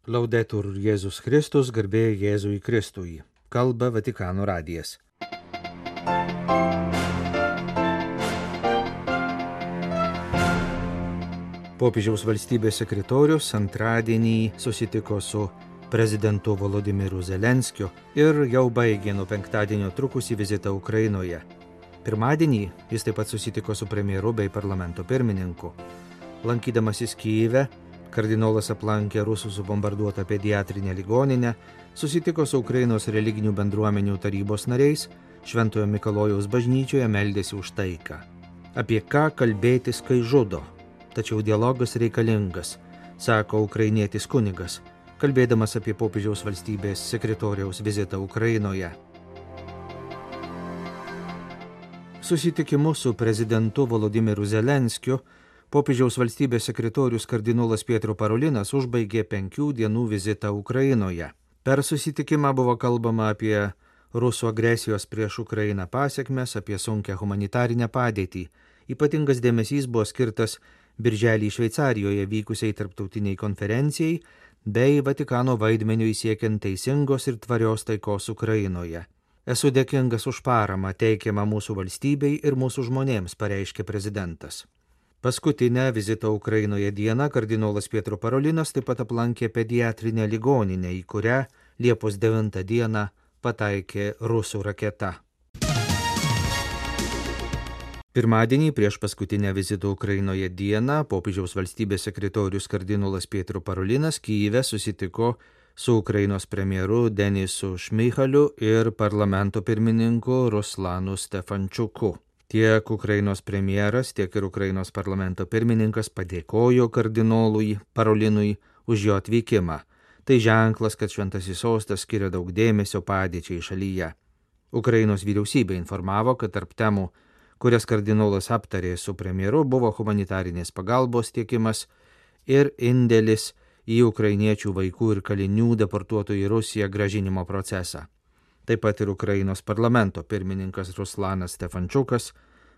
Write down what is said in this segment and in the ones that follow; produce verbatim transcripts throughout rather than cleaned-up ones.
Laudetur Jėzus Kristus, garbė Jėzui Kristui. Kalba Vatikano radijas. Popiežiaus valstybės sekretorius antradienį susitiko su prezidentu Volodymyru Zelenskiu ir jau baigė nuo penktadienio trukusį vizitą Ukrainoje. Pirmadienį jis taip pat susitiko su premjeru bei parlamento pirmininku. Lankydamasis Kyjive, kardinolas aplankė Rusų subombarduotą pediatrinę ligoninę, susitiko su Ukrainos religinių bendruomenių tarybos nariais, Šventojo Mikalojaus bažnyčioje meldėsi už taiką. Apie ką kalbėtis, kai žudo? Tačiau dialogas reikalingas, sako ukrainietis kunigas, kalbėdamas apie popiežiaus valstybės sekretoriaus vizitą Ukrainoje. Susitikimu su prezidentu Volodymyru Zelenskiu popiežiaus valstybės sekretorius kardinolas Pietro Parolinas užbaigė penkių dienų vizitą Ukrainoje. Per susitikimą buvo kalbama apie Rusų agresijos prieš Ukrainą pasekmes, apie sunkią humanitarinę padėtį. Ypatingas dėmesys buvo skirtas birželį Šveicarijoje vykusiai tarptautiniai konferencijai bei Vatikano vaidmeniui siekiant teisingos ir tvarios taikos Ukrainoje. Esu dėkingas už paramą teikiamą mūsų valstybei ir mūsų žmonėms, pareiškė prezidentas. Paskutinę vizito Ukrainoje dieną kardinolas Pietro Parolinas taip pat aplankė pediatrinę ligoninę, į kurią Liepos devintą dieną pataikė rusų raketa. Pirmadienį prieš paskutinę vizito Ukrainoje dieną popiežiaus valstybės sekretorius kardinolas Pietro Parolinas Kyjive susitiko su Ukrainos premjeru Denisu Šmyhaliu ir parlamento pirmininku Ruslanu Stefančiuku. Tiek Ukrainos premjeras, tiek ir Ukrainos parlamento pirmininkas padėkojo kardinolui Parolinui už jo atvykimą. Tai ženklas, kad Šventasis sostas skiria daug dėmesio padėčiai šalyje. Ukrainos vyriausybė informavo, kad tarp temų, kurias kardinolas aptarė su premjeru, buvo humanitarinės pagalbos tiekimas ir indėlis į ukrainiečių vaikų ir kalinių deportuotų į Rusiją grąžinimo procesą. Taip pat ir Ukrainos parlamento pirmininkas Ruslanas Stefančiukas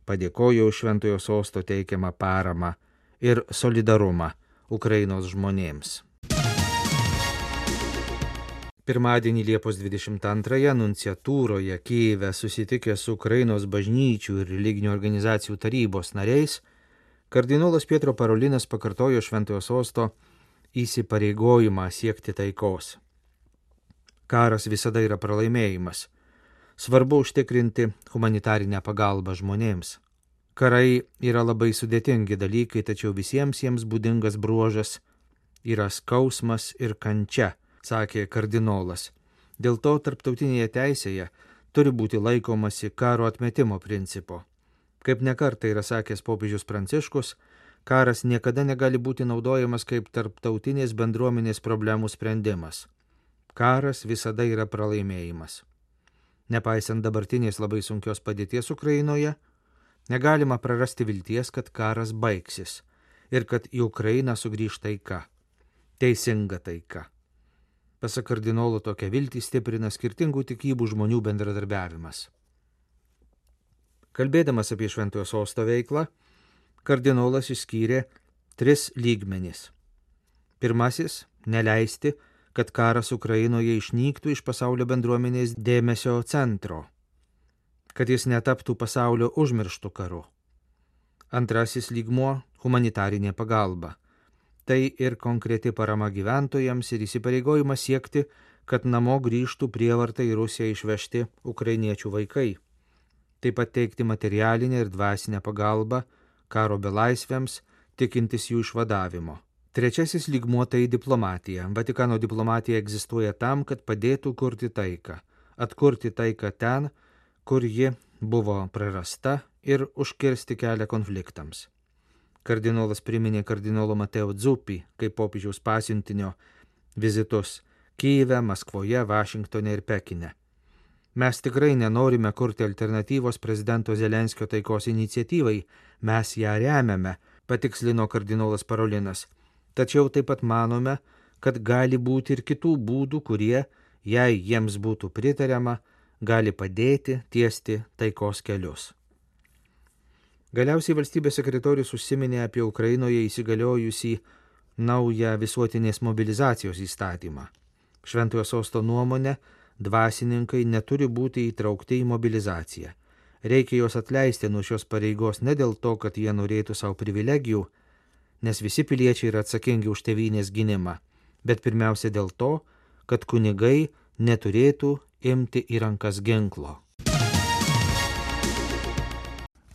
padėkojo už Šventojo sosto teikiamą paramą ir solidarumą Ukrainos žmonėms. Pirmadienį Liepos dvidešimt antrąją nunciatūroje Kyjive susitikę su Ukrainos bažnyčių ir religinių organizacijų tarybos nariais, kardinolas Pietro Parolinas pakartojo Šventojo sosto įsipareigojimą siekti taikos. Karas visada yra pralaimėjimas. Svarbu užtikrinti humanitarinę pagalbą žmonėms. Karai yra labai sudėtingi dalykai, tačiau visiems jiems būdingas bruožas yra skausmas ir kančia, sakė kardinolas. Dėl to tarptautinėje teisėje turi būti laikomasi karo atmetimo principo. Kaip nekartą yra sakęs popiežius Pranciškus, karas niekada negali būti naudojamas kaip tarptautinės bendruomenės problemų sprendimas. Karas visada yra pralaimėjimas. Nepaisant dabartinės labai sunkios padėties Ukrainoje, negalima prarasti vilties, kad karas baigsis ir kad į Ukrainą sugrįš taika. Teisinga taika. Pasak kardinolo, tokią viltį stiprina skirtingų tikybų žmonių bendradarbiavimas. Kalbėdamas apie Šventojo sosto veiklą, kardinolas išskyrė tris lygmenis. Pirmasis – neleisti, kad karas Ukrainoje išnyktų iš pasaulio bendruomenės dėmesio centro, kad jis netaptų pasaulio užmirštų karu. Antrasis lygmuo – humanitarinė pagalba. Tai ir konkreti parama gyventojams ir įsipareigojimas siekti, kad namo grįžtų prievartai į Rusiją išvežti ukrainiečių vaikai. Taip pat teikti materialinę ir dvasinę pagalbą karo belaisviams, tikintis jų išvadavimo. Trečiasis lygmuo tai diplomatija. Vatikano diplomatija egzistuoja tam, kad padėtų kurti taiką, atkurti taiką ten, kur ji buvo prarasta ir užkirsti kelią konfliktams. Kardinolas priminė kardinolo Mateo Zuppi kaip popiežiaus pasiuntinio vizitus Kyjive, Maskvoje, Vašingtone ir Pekine. Mes tikrai nenorime kurti alternatyvos prezidento Zelenskio taikos iniciatyvai, mes ją remiame, patikslino kardinolas Parolinas. Tačiau taip pat manome, kad gali būti ir kitų būdų, kurie, jei jiems būtų pritariama, gali padėti tiesti taikos kelius. Galiausiai valstybės sekretorius užsiminė apie Ukrainoje įsigaliojusį naują visuotinės mobilizacijos įstatymą. Šventojo sosto nuomonė, dvasininkai neturi būti įtraukti į mobilizaciją. Reikia juos atleisti nuo šios pareigos ne dėl to, kad jie norėtų savo privilegijų, nes visi piliečiai yra atsakingi už tėvynės gynimą, bet pirmiausia dėl to, kad kunigai neturėtų imti į rankas ginklo.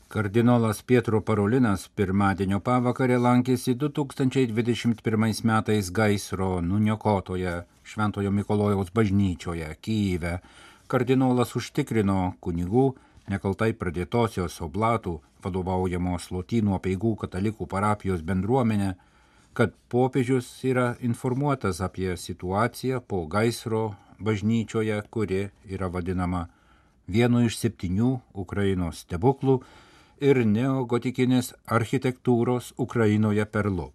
Kardinolas Pietro Parolinas pirmadienio pavakarę lankėsi du tūkstančiai dvidešimt pirmais metais gaisro nuniokotoje Šventojo Mikalojaus bažnyčioje Kyjive. Kardinolas užtikrino kunigų nekaltai pradėtosios oblatų vadovaujamos Lotynų apeigų katalikų parapijos bendruomenę, kad popiežius yra informuotas apie situaciją po gaisro bažnyčioje, kuri yra vadinama vienu iš septynių Ukrainos stebuklų ir neogotikinės architektūros Ukrainoje perlu.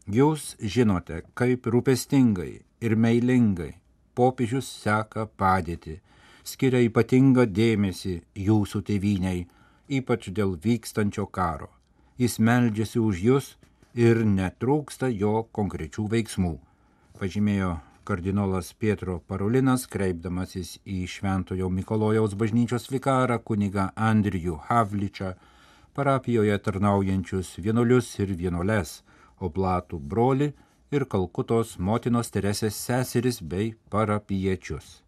Jūs žinote, kaip rūpestingai ir meilingai popiežius seka padėtį, skiria ypatingą dėmesį jūsų tėvyniai, ypač dėl vykstančio karo. Jis meldžiasi už jūs ir netrūksta jo konkrečių veiksmų, pažymėjo kardinolas Pietro Parolinas, kreipdamasis į Šventojo Mikalojaus bažnyčios vikarą kunigą Andrijų Havličą, parapijoje tarnaujančius vienuolius ir vienuoles, oblatų brolį ir Kalkutos motinos Teresės seseris bei parapiečius.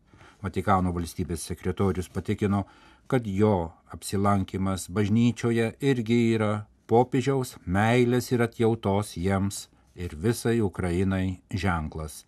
Vatikano valstybės sekretorius patikino, kad jo apsilankimas bažnyčioje irgi yra popiežiaus meilės ir atjautos jiems ir visai Ukrainai ženklas.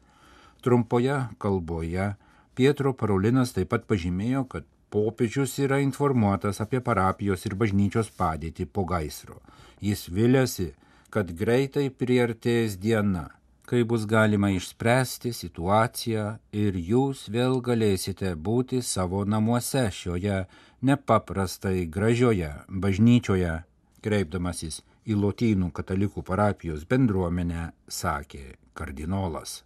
Trumpoje kalboje Pietro Parolinas taip pat pažymėjo, kad popiežius yra informuotas apie parapijos ir bažnyčios padėtį po gaisro. Jis viliasi, kad greitai priartės diena, kai bus galima išspręsti situaciją ir jūs vėl galėsite būti savo namuose šioje nepaprastai gražioje bažnyčioje. Kreipdamasis į Lotynų katalikų parapijos bendruomenę, sakė kardinolas.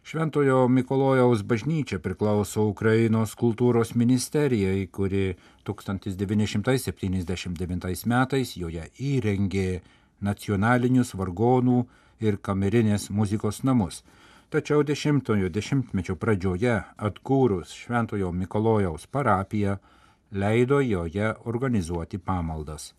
Šventojo Mikalojaus bažnyčia priklauso Ukrainos kultūros ministerijai, kuri tūkstantis devyni šimtai septyniasdešimt devintais metais joje įrengė nacionalinius vargonų ir kamerinės muzikos namus. Tačiau dešimtojo dešimtmečio pradžioje atkūrus Šventojo Mikalojaus parapiją, leido joje organizuoti pamaldas.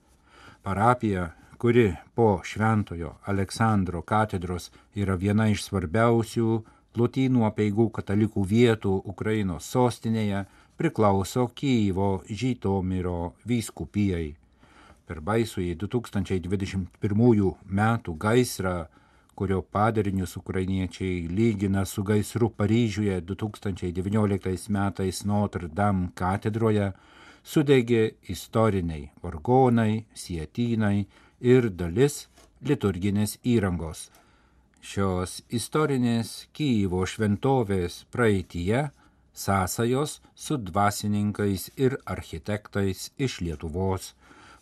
Parapija, kuri po Šventojo Aleksandro katedros yra viena iš svarbiausių Lotynų apeigų katalikų vietų Ukrainos sostinėje, priklauso Kyjivo Žytomyro vyskupijai. Per baisųjį du tūkstančiai dvidešimt pirmųjų metų gaisrą, kurio padarinius ukrainiečiai lygina su gaisru Paryžiuje du tūkstančiai devynioliktais metais Notre Dame katedroje, sudegė istoriniai vargonai, sietynai ir dalis liturginės įrangos. Šios istorinės Kyjivo šventovės praeityje sąsajos su dvasininkais ir architektais iš Lietuvos.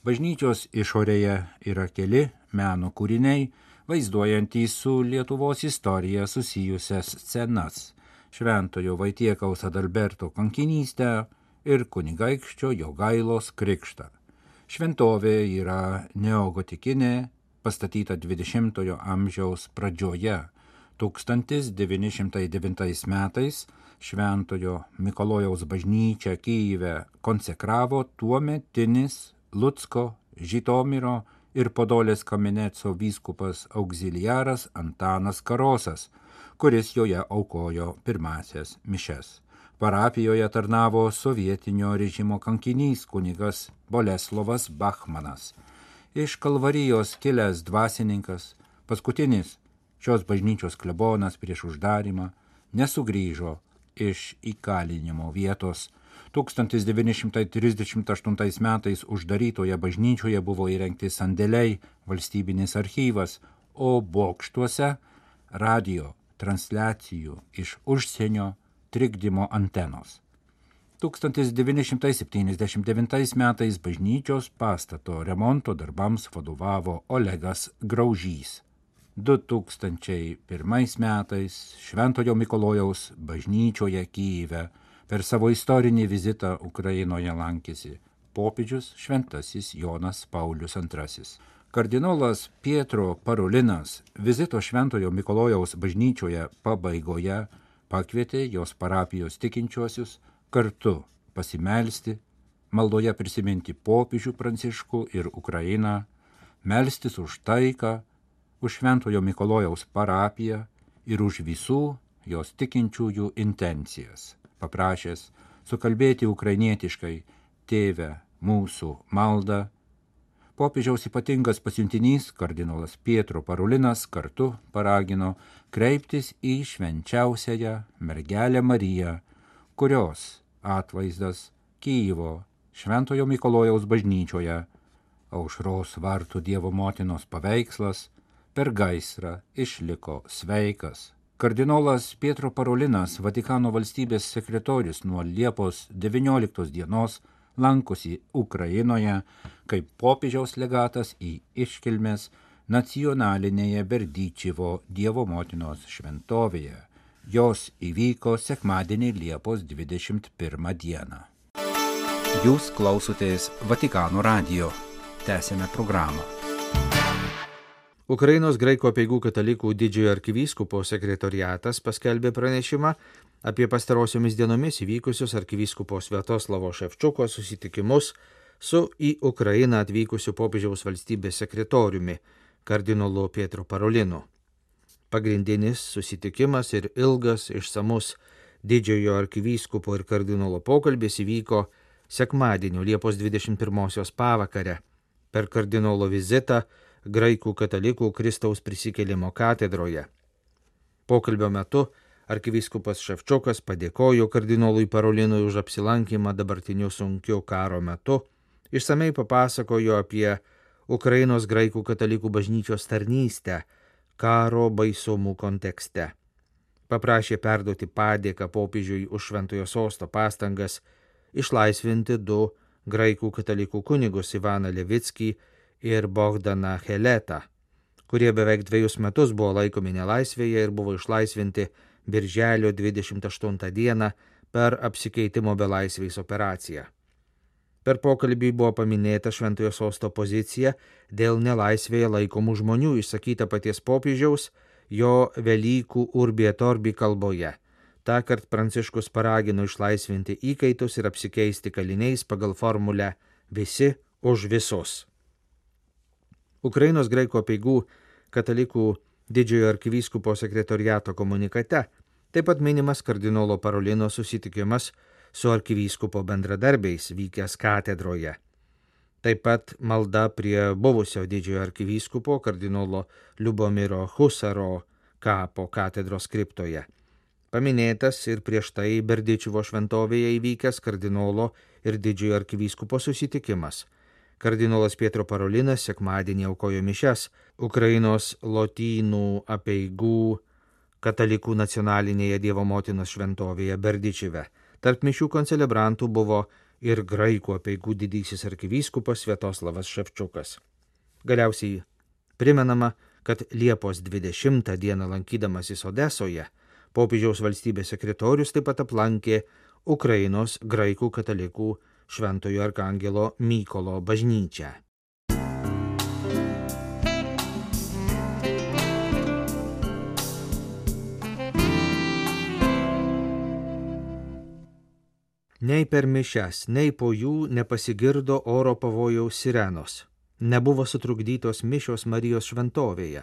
Bažnyčios išorėje yra keli meno kūriniai, vaizduojantys su Lietuvos istorija susijusias scenas, Šventojo Vaitiekaus Adalberto kankinystę ir kunigaikščio Jogailos krikštą. Šventovė yra neogotikinė, pastatyta dvidešimtojo amžiaus pradžioje. tūkstantis devyni šimtai devintais metais Šventojo Mikalojaus bažnyčią Kyjive konsekravo tuometinis Lucko, Žytomyro ir Podolės Kameneco vyskupas auxiliaras Antanas Karosas, kuris joje aukojo pirmasias mišes. Parapijoje tarnavo sovietinio režimo kankinys kunigas Boleslovas Bachmanas. Iš Kalvarijos kilęs dvasininkas, paskutinis šios bažnyčios klebonas prieš uždarimą, nesugrįžo iš įkalinimo vietos. tūkstantis devyni šimtai trisdešimt aštuntais metais uždarytoje bažnyčioje buvo įrengti sandėliai, valstybinis archyvas, o bokštuose radio transliacijų iš užsienio trikdymo antenos. tūkstantis devyni šimtai septyniasdešimt devintais metais bažnyčios pastato remonto darbams vadovavo Olegas Graužys. du tūkstančiai pirmais metais Šventojo Mikalojaus bažnyčioje Kyjive per savo istorinį vizitą Ukrainoje lankėsi popiežius šventasis Jonas Paulius antrasis. Kardinolas Pietro Parolinas vizito Šventojo Mikalojaus bažnyčioje pabaigoje pakvietė jos parapijos tikinčiuosius kartu pasimelsti, maldoje prisiminti popiežių Pranciškų ir Ukrainą, melstis už taiką, už Šventojo Mikalojaus parapiją ir už visų jos tikinčiųjų intencijas, paprašęs sukalbėti ukrainietiškai Tėve mūsų maldą. Popiežiaus ypatingas pasiuntinys kardinolas Pietro Parolinas kartu paragino kreiptis į švenčiausiąją mergelę Mariją, kurios atvaizdas Kyjivo Šventojo Mikalojaus bažnyčioje, Aušros vartų Dievo motinos paveikslas, per gaisrą išliko sveikas. Kardinolas Pietro Parolinas, Vatikano valstybės sekretorius, nuo Liepos devynioliktos dienos lankosi Ukrainoje kaip popiežiaus legatas į iškilmes nacionalinėje Berdyčivo Dievo motinos šventovėje. Jos įvyko sekmadienį Liepos dvidešimt pirmą dieną. Jūs klausotės Vatikano radijo. Tęsėme programą. Ukrainos graikų apeigų katalikų didžiojo arkivyskupo sekretoriatas paskelbė pranešimą apie pastarosiomis dienomis įvykusius arkivyskupo Sviatoslavo Ševčiuko susitikimus su į Ukrainą atvykusiu popiežiaus valstybės sekretoriumi, kardinolu Pietro Parolinu. Pagrindinis susitikimas ir ilgas išsamus didžiojo arkivyskupo ir kardinolo pokalbis įvyko sekmadienio Liepos dvidešimt pirmosios pavakare per kardinolo vizitą graikų katalikų Kristaus prisikėlimo katedroje. Pokalbio metu arkivyskupas Ševčiukas padėkojo kardinolui Parolinui už apsilankymą dabartiniu sunkiu karo metu, išsamei papasakojo apie Ukrainos graikų katalikų bažnyčios tarnystę karo baisumų kontekste. Paprašė perduoti padėką popiežiui už Šventojo sosto pastangas išlaisvinti du graikų katalikų kunigus Ivaną Levickį ir Bogdaną Heletą, kurie beveik dviejus metus buvo laikomi nelaisvėje ir buvo išlaisvinti birželio dvidešimt aštuntą dieną per apsikeitimo belaisviais operaciją. Per pokalbį buvo paminėta Šventojo sosto pozicija dėl nelaisvėje laikomų žmonių išsakyta paties popiežiaus jo Velykų Urbi et Orbi kalboje. Tąkart Pranciškus paragino išlaisvinti įkaitus ir apsikeisti kaliniais pagal formulę visi už visus. Ukrainos graikų apeigų katalikų didžiojo arkivyskupo sekretoriato komunikate taip pat minimas kardinolo Parolino susitikimas su arkivyskupo bendradarbiais vykęs katedroje. Taip pat malda prie buvusio didžiojo arkivyskupo kardinolo Liubomiro Husaro kapo katedros kriptoje. Paminėtas ir prieš tai Berdyčivo šventovėje įvykęs kardinolo ir didžiojo arkivyskupo susitikimas. Kardinolas Pietro Parolinas sekmadienį aukojo mišias Ukrainos lotynų apeigų katalikų nacionalinėje Dievo motinos šventovėje Berdyčive. Tarp mišių koncelebrantų buvo ir graikų apeigų didysis arkivyskupas Sviatoslavas Ševčiukas. Galiausiai primenama, kad Liepos dvidešimtą dieną lankydamasis Odesoje popiežiaus valstybės sekretorius taip pat aplankė Ukrainos graikų katalikų Šventojo arkangelo Mykolo bažnyčią. Nei per mišias, nei po jų nepasigirdo oro pavojaus sirenos. Nebuvo sutrukdytos mišios Marijos šventovėje.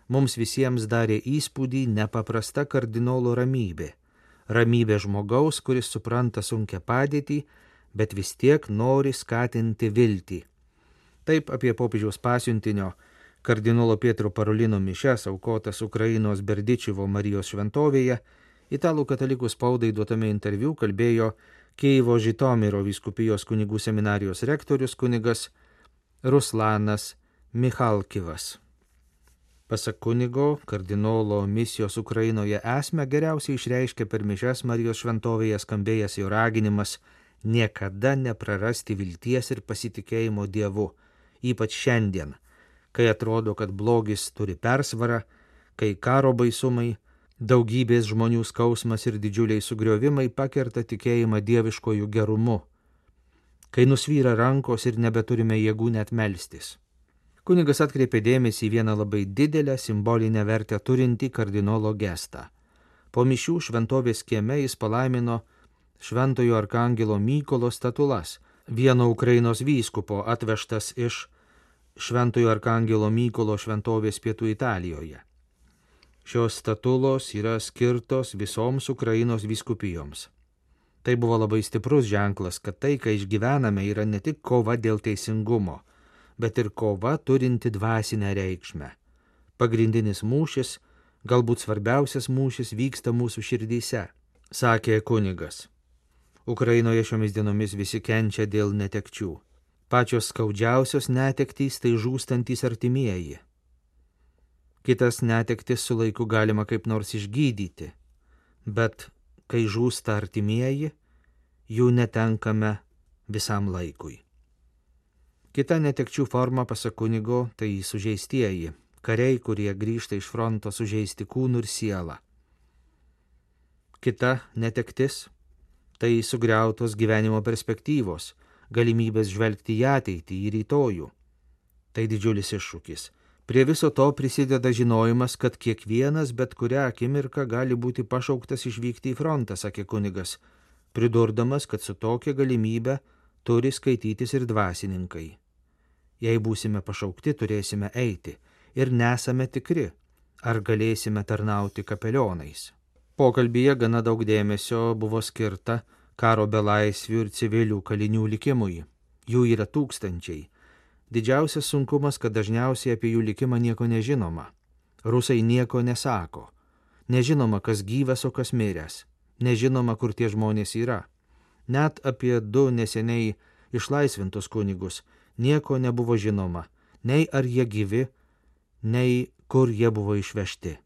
Mums visiems darė įspūdį nepaprasta kardinolo ramybė. Ramybė žmogaus, kuris supranta sunkią padėtį, bet vis tiek nori skatinti viltį. Taip apie popiežiaus pasiuntinio kardinolo Pietro Parolino mišias aukotas Ukrainos Berdyčivo Marijos šventovėje italų katalikų spaudai duotame interviu kalbėjo Kijevo Žitomiro vyskupijos kunigų seminarijos rektorius kunigas Ruslanas Michalkivas. Pasak kunigo, kardinolo misijos Ukrainoje esmę geriausiai išreiškia per mišias Marijos šventovėje skambėjęs jo raginimas niekada neprarasti vilties ir pasitikėjimo Dievu, ypač šiandien, kai atrodo, kad blogis turi persvarą, kai karo baisumai, daugybės žmonių skausmas ir didžiuliai sugriovimai pakerta tikėjimą dieviškojų gerumu, kai nusvyra rankos ir nebeturime jėgų net melstis. Kunigas atkreipė dėmesį į vieną labai didelę simbolinę vertę turintį kardinolo gestą. Po mišių šventovės kieme jis palaimino šventojo arkangelo Mykolo statulas, vieno Ukrainos vyskupo atvežtas iš šventojo arkangelo Mykolo šventovės pietų Italijoje. Šios statulos yra skirtos visoms Ukrainos vyskupijoms. Tai buvo labai stiprus ženklas, kad tai, ką išgyvename, yra ne tik kova dėl teisingumo, bet ir kova turinti dvasinę reikšmę. Pagrindinis mūšis, galbūt svarbiausias mūšis vyksta mūsų širdyse, sakė kunigas. Ukrainoje šiomis dienomis visi kenčia dėl netekčių. Pačios skaudžiausios netektys tai žūstantys artimieji. Kitas netektis su laiku galima kaip nors išgydyti, bet kai žūsta artimieji, jų netenkame visam laikui. Kita netekčių forma, pasak kunigo, tai sužeistieji, kariai, kurie grįžta iš fronto sužeisti kūnų ir sielą. Kita netektis – tai sugriautos gyvenimo perspektyvos, galimybės žvelgti į ateitį, į rytojų. Tai didžiulis iššūkis. Prie viso to prisideda žinojimas, kad kiekvienas bet kurią akimirką gali būti pašauktas išvykti į frontą, sakė kunigas, pridurdamas, kad su tokia galimybė turi skaitytis ir dvasininkai. Jei būsime pašaukti, turėsime eiti ir nesame tikri, ar galėsime tarnauti kapelionais. Pokalbyje gana daug dėmesio buvo skirta karo belaisvių ir civilių kalinių likimui. Jų yra tūkstančiai. Didžiausias sunkumas, kad dažniausiai apie jų likimą nieko nežinoma. Rusai nieko nesako. Nežinoma, kas gyvas, o kas miręs. Nežinoma, kur tie žmonės yra. Net apie du neseniai išlaisvintus kunigus nieko nebuvo žinoma, nei ar jie gyvi, nei kur jie buvo išvežti.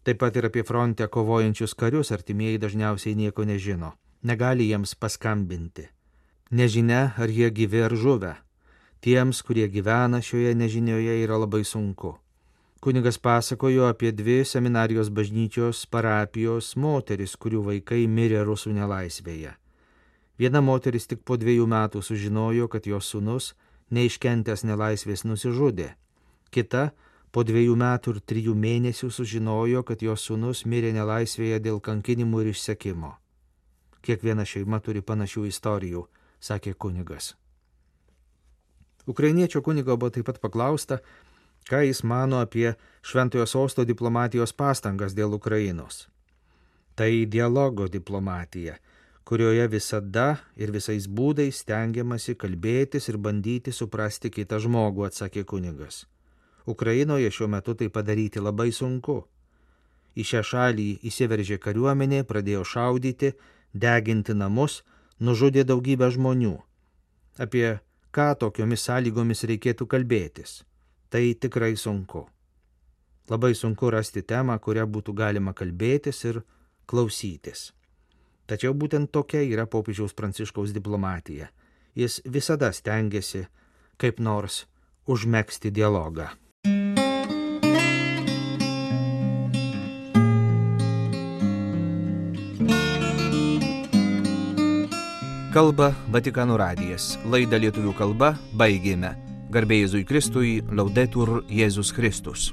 Taip pat ir apie fronte kovojančius karius artimieji dažniausiai nieko nežino, negali jiems paskambinti. Nežinia, ar jie gyvi ar žuvę. Tiems, kurie gyvena šioje nežinioje, yra labai sunku. Kunigas pasakojo apie dvi seminarijos bažnyčios parapijos moteris, kurių vaikai mirė rusų nelaisvėje. Viena moteris tik po dviejų metų sužinojo, kad jos sūnus, neiškentęs nelaisvės, nusižudė. Kita po dviejų metų ir trijų mėnesių sužinojo, kad jos sūnus mirė nelaisvėje dėl kankinimų ir išsekimo. Kiekviena šeima turi panašių istorijų, sakė kunigas. Ukrainiečio kunigo buvo taip pat paklausta, ką jis mano apie Šventojo Sosto diplomatijos pastangas dėl Ukrainos. Tai dialogo diplomatija, kurioje visada ir visais būdais stengiamasi kalbėtis ir bandyti suprasti kitą žmogų, atsakė kunigas. Ukrainoje šiuo metu tai padaryti labai sunku. Į šią šalį įsiveržė kariuomenė, pradėjo šaudyti, deginti namus, nužudė daugybę žmonių. Apie ką tokiomis sąlygomis reikėtų kalbėtis. Tai tikrai sunku. Labai sunku rasti temą, kurią būtų galima kalbėtis ir klausytis. Tačiau būtent tokia yra popiežiaus Pranciškaus diplomatija. Jis visada stengiasi kaip nors užmegzti dialogą. Kalba Vatikano radijas. Laidą lietuvių kalba baigėme. Garbė Jėzui Kristui, Laudetur Jėzus Kristus.